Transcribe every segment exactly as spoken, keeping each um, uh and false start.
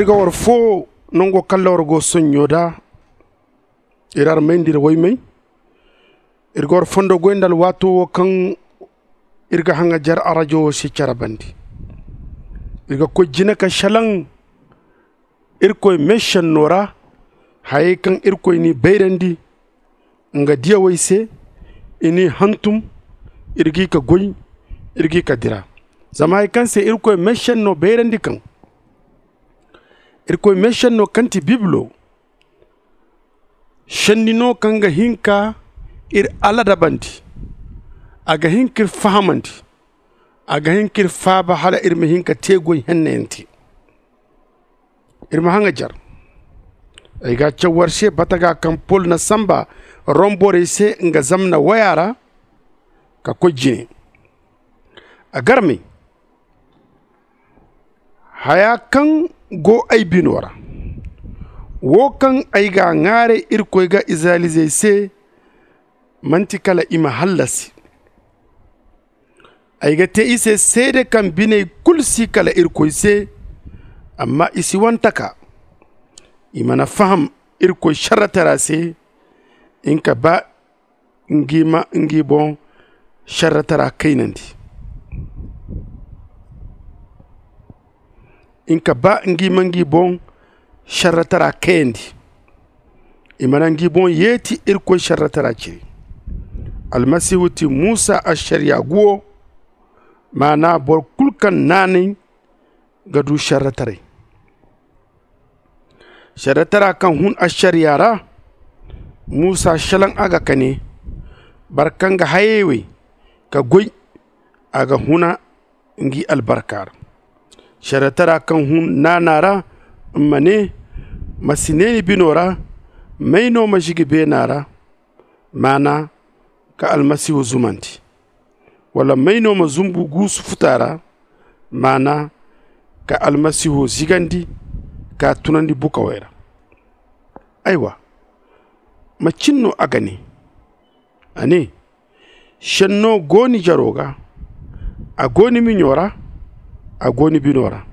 Iri ga war fo nango kalla war go sonɲo da. Iri armay nda iri waymay. Iri ga war fondo goy nda alwaato wo kaŋ iri ga haŋajer arajo wo se care bandi. Iri ga koy jine ka šelaŋ irkoy meesenno ra. Hayey kaŋ irkoy n'i bayrandi nga diyawey se, i n'i hantum. Iri g'i ka goy, iri g'i ka dira. Zama hari kaŋ se irkoy meesenno bayrandi kaŋ irkoy meesenno kaŋ ti bibilo, senni no kaŋ ga hin ka iri aladabandi. A ga hin ka iri fahamandi. A ga hin ka iri faaba hala iri ma hin ka te goy hennayaŋ te. Iri ma haŋajer. Ay ga a caw war se bataga kaŋ pol na samba rom borey se nga zamna waya ra ka koy jine. A garmay haya kaŋ go ay bino ra, wo kaŋ ay ga a ŋwaaray irkoy ga izirayelizey se, manti kala i ma hallasi. Ay ga te i se seede kaŋ biney kulu si kala irkoy se. Amma i si wane taka. I mana faham irkoy šerretara se. Nga ba ngi ma ngi boŋ šerretara kaynandi. Nga ba ngi ma ngi boŋ šerretara kayandi. I mana ngi boŋ yeeti irkoy šerretara ciri. Almasihu ti musa ašariya guwo. Maana boro kulu kaŋ naanay ga du šerretaray. Šerretara kaŋ hun ašariya ra. Musa šelaŋ a ga ka ne, boro kaŋ ga hayey wey ka goy, a ga huna ngi albarka ra. Šerretara kaŋ hun naana ra, ma ne, ma si ne ni bino ra, may no ma zigi beena ra? Maana, ka almasihu zumandi. Wala may no ma zumbu guusu futa ra? Maana, ka almasihu zigandi, ka tunandi bukawey ra. Aywa, macin no a ga ne? A ne, senno go ni jaro ga, a go ni miɲo ra, a go ni bino ra.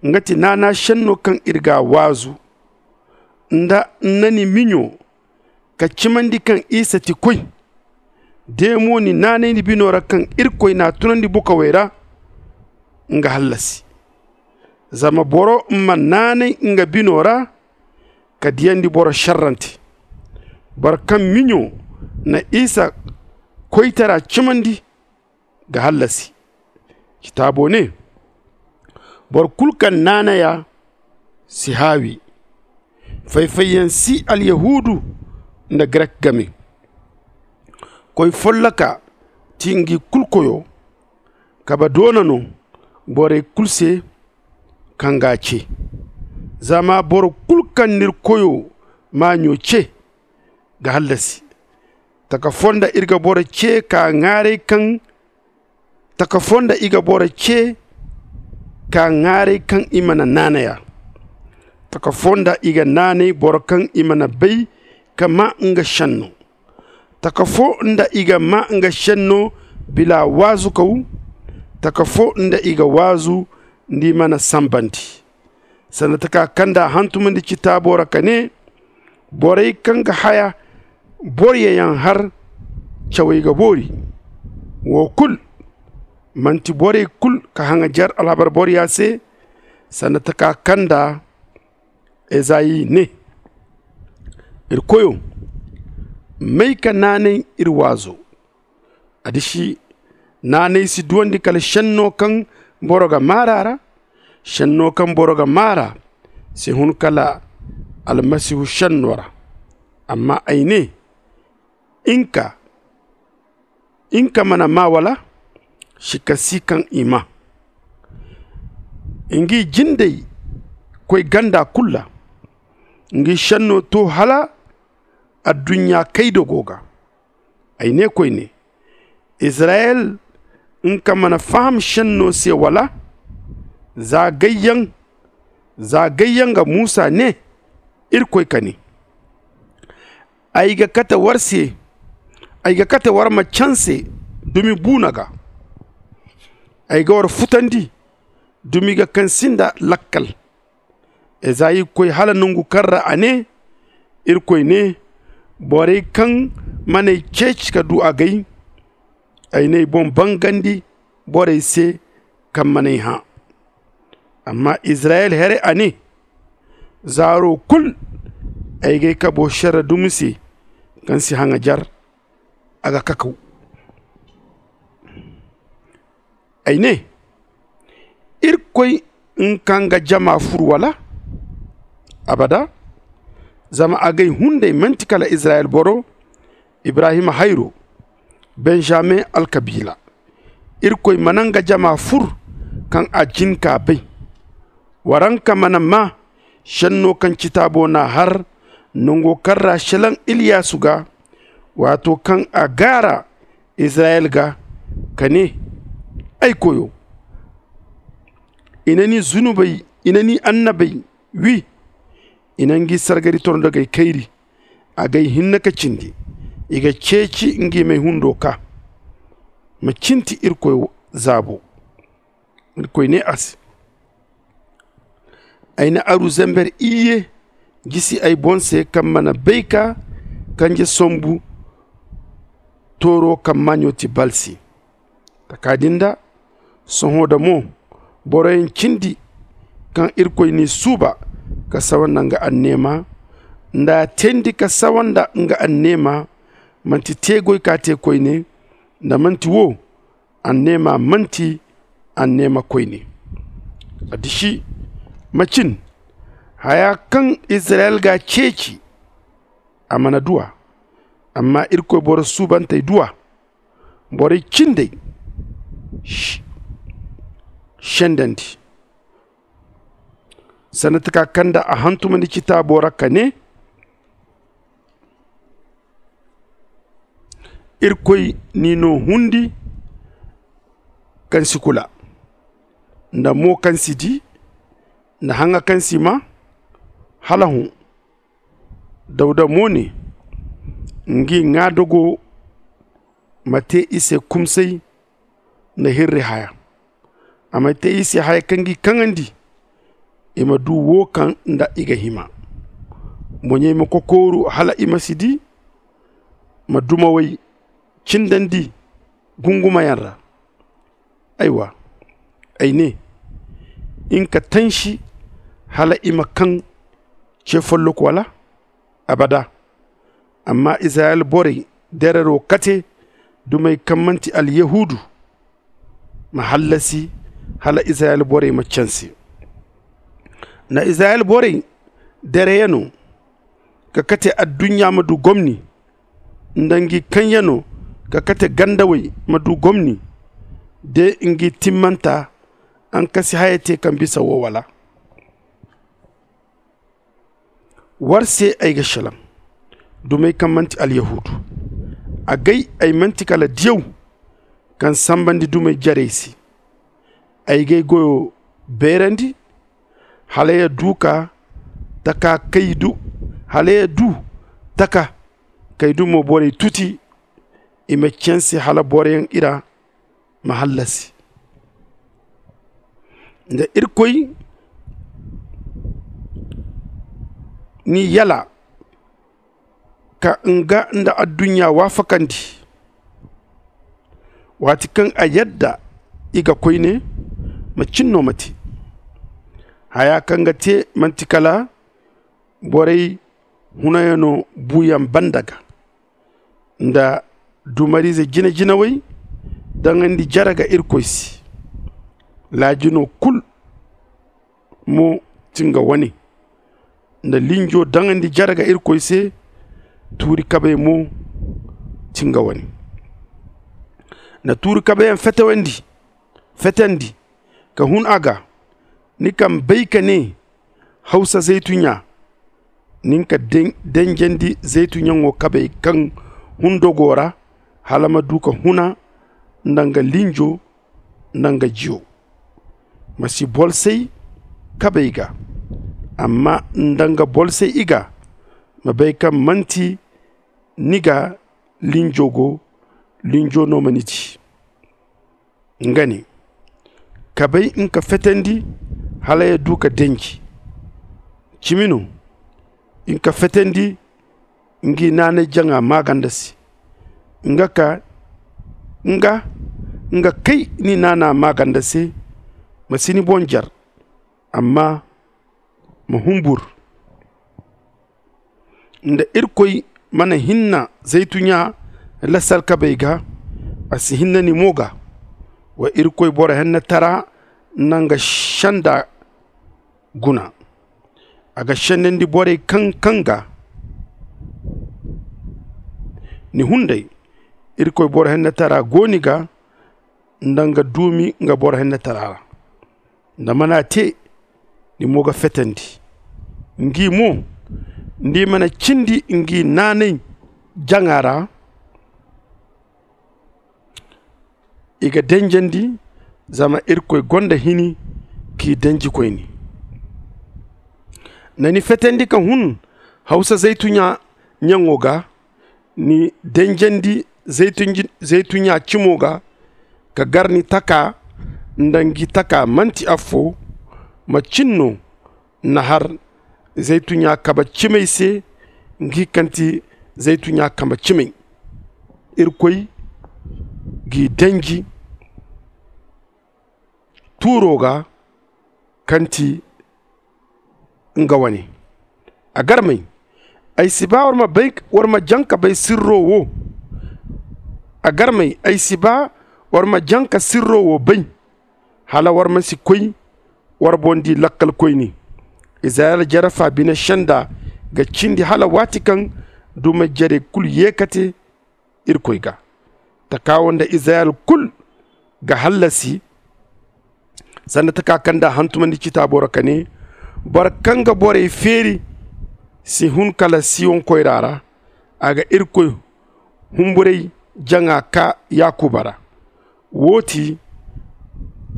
Nga ti naana senno kaŋ iri ga a waazu nda nna ni miɲo ka cimandi kaŋ isa ti koy. De mo ni naanay ni bino ra kaŋ irkoy n'a tunandi bukawey ra, nga hallasi. Zama boro ma naanay nga bino ra ka diyandi boro šerrante. Boro kaŋ miɲo na isa koytara cimandi ga hallasi. Citaabo ne, boro kulu kaŋ naanay a si haawi. Fay-fayyaŋ si alyahuudu nda grek game. Koy folloka ti ngi kulu koyo. Kabe doona no borey kulu se kaŋ g'a ce. Zama boro kulu kaŋ n'iri koyo maaɲo ce ga hallasi. Taka fonda iri ga boro ce ka ŋwaaray kaŋ taka fonda i ga boro ce ka ŋwaaray kaŋ i mana naanay a. Taka fonda i ga naanay boro kaŋ i mana bay ka maa nga senno. Taka fonda i ga maa nga senno bila waazukaw. Taka fonda i ga waazu nda i mana sambandi. Sanda taka kaŋ nda a hantumandi citaabo ra ka ne, borey kaŋ ga haya boroyaŋ har cawey ga boori. Wo kulu manti borey kulu ka haŋajer alhabar boroya se. Sanda taka kaŋ nda ezayi ne, iri koyo, may ka naanay iri waazo? A disi, naanay si duwandi kala senno kaŋ boro ga maar'a ra. Senno kaŋ boro ga maar'a si hun kala almasihu senno ra. Amma ay ne, nga nga mana maa wala? Sikka si kaŋ i maa. Ngi jindey koy ganda kulu ra. Ngi senno to hala adduɲɲa kaydo go ga. Ay ne koyne, izirayel nka mana faham senno se wala? Za gayyaŋ za gayyaŋ ga musa ne, irkoy ka ne, ay ga kate war se ay ga kate war ma canse dumi buuna ga. Ay ga war futandi dumi ga kaŋ sinda lakkal. Ezayi koy hala nongu kaŋ ra a ne, Irkoy ne, borey kaŋ man'ay ceeci ka du agay, ay n'ay boŋ bangandi borey se kaŋ man'ay hã. Amma izirayel here a ne, zaaro kulu ay g'ay kabo šerre dumi se kaŋ si haŋajer. A ga kakaw. Ay ne, irkoy nga kaŋ ga jama fur wala? Abada. Zama agay hunday man'ti kala izirayel boro, ibrahima hayro, benjamin alkabiila. Irkoy mana nga jama fur kaŋ a jin k'a bay. Waranka mana maa šenno kaŋ citaabo n'a har nango kaŋ ra šelaŋ iliyasu ga, waato kaŋ a gaara izirayel ga, ka ne, ay koyo, i na ni zunubey, i na ni annabey wi. I na ngi sargari tondogey kayri. Agay hinne ka cindi. I ga ceeci ngi m'ay hundo ka ma cinti irkoy zaabo. Irkoy ne a se, ay na aru zember iyye gisi ay boŋ se kaŋ mana bay ka kanje sombu tooro kaŋ maaɲo ti balsi. Taka din da sohõ da mo boroyaŋ cindi kaŋ irkoy n'i suuba ka sawa nda nga anneema, nda a teendi ka sawa nda nga anneema, man'ti teegoy ka te koyne, nda man'ti wo anneema man'ti anneema koyne. A disi macin haya kaŋ izirayel g'a ceeci. A mana du a. Amma irkoy boro suubantey du a. Borey cindey sendandi sanda taka kaŋ nda a hantumandi citaabo ra ka ne, irkoy n'i no hundi kaŋ si kula, nda mo kaŋ si di, nda haŋa kaŋ si maa. Hala hõ dawda mo ne, ngi ŋwaadogo ma te i se kumsay nda hirri haya. A ma te i se haya kaŋ g'i kaŋandi, i ma du wo kaŋ nda i ga hima. Moɲey ma kokooru hala i ma si di, ma dumawey cindandi gungumayaŋ ra. Aywa, ay ne, in ka tansi hala i ma kaŋ ce follok wala? Abada. Amma izirayel borey derero kate dumey kaŋ man'ti alyahuudu ma hallasi hala izirayel borey ma canse. Nda izirayel borey dereyano ka kate adduɲɲa ma du gomni, nda ngi kaŋyano ka kate gandawey ma du gomni, de ngi timmanta, ankasi haya te kaŋ bisa wo wala? War se ay ga šelaŋ dumey kaŋ man'ti alyahuudu. Agay ay man'ti kala diyaw kaŋ sambandi dumey jarey se. Ay g'ay goyo beerandi hala ya du ka taka kay du hala ya du taka kay du mo borey tuti i ma canse hala boroyaŋ i ra ma hallasi. Nda irkoy n'i yala ka nga nda adduɲɲa waafakandi, waati kaŋ a yadda i ga koyne macin no ma te. Haya kaŋ ga te man'ti kala borey hunayano buuyaŋ banda ga nda dumariize jine-jinawey daŋandi jare ga irkoy se. Laajino kulu mo ti nga wane. Nda linjo daŋandi jare ga irkoy se. Tuuri kabey mo ti nga wane. Nda tuuri kabeyaŋ fetewandi fetandi ka hun a ga. Ni kaŋ bay ka ne hawsa zaytuɲɲa, nin ka denjandi zaytuɲɲaŋo kabey kaŋ hun dogo ra hala ma du ka huna nda nga linjo nda nga jiyo. Ma si bolsay kabey ga, amma nda nga bolsay i ga. Ma bay kaŋ manti ni ga linjo go, linjo no ma ni di. Nga ne, kabey nka fetandi hala ya du ka denji. cimi no. Nga ka fetandi ngi naanay jaŋa maaganda se. Nga ka nga nga kay ni naana maaganda se. Ma si ni boŋ jar, amma ma humbur. Nda irkoy mana hinna zaytuɲa lasalkabey ga, a si hinna ni mo ga. Wa irkoy boro hennetara na nga senda guna. A ga sendandi borey kaŋ kaŋ ga ni hunday. Irkoy boro hennetara go ni ga nda nga duumi nga boro hennetara ra. Nda mana te, ni mo ga fetandi. Ngi mo, nda i mana cindi ngi naanay jaŋa ra, i ga denjandi. Zama irkoy gonda hini k'i denji koyne. Na ni fetandi ka hun hawsa zaytuɲa ɲaŋo ga. Ni denjandi zaytuɲa cimo ga ka gar ni taka nda ngi taka manti affo. Ma cin no na har zaytuɲa kaba cimey se. Ngi kaŋ ti zaytuɲa kaba cimey irkoy g'i denji tuuro ga kaŋ ti nga wane. A garmey, ay si ba war ma jaŋ ka bay sirro wo. A garmey, ay si ba war ma jaŋ ka sirro wo bay, hala war ma si koy war boŋ di lakkalkoyne. Izirayel jarafa bine senda ga cindi hala waati kaŋ dumey jarey kulu ye ka te irkoy ga. Taka wo nda izirayel kulu ga hallasi. Sanda taka kaŋ da hantumandi citaabo ra ka ne, boro kaŋ ga borey feeri si hun kala siyon koyra ra. A ga irkoy humburay jaŋa ka yakuba ra. Wo ti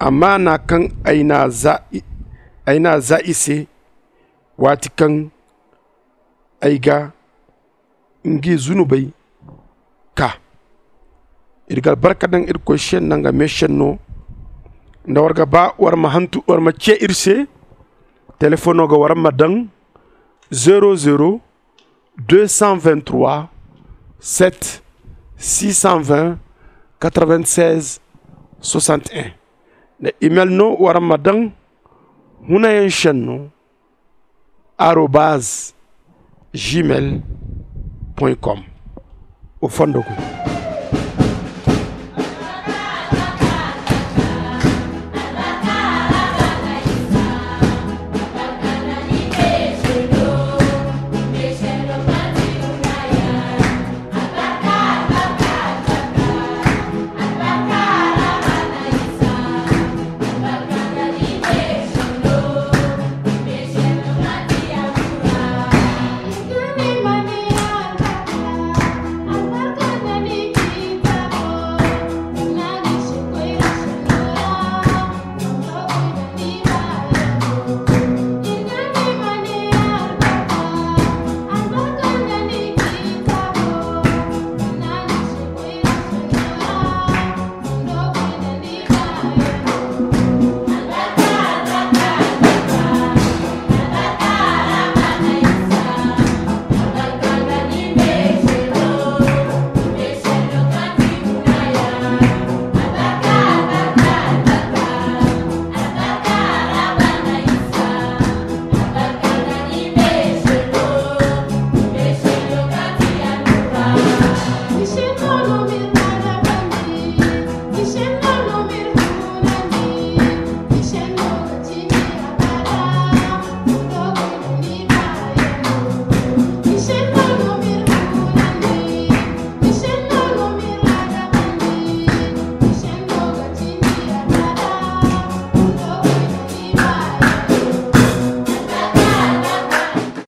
amaana kaŋ ay n'a za i se waati kaŋ ay ga ngi zunubey ka. Iri ga albarka daŋ irkoy se nda nga meesenno. Nda war ga ba war ma hantu war ma ce iri se, telefono ga war ma daŋ zero zero deux cent vingt-trois sept six cent vingt quatre-vingt-seize soixante et un. Nda email no war ma daŋ hunayaŋ senno arobaz gmail point com. Wa fondo koy.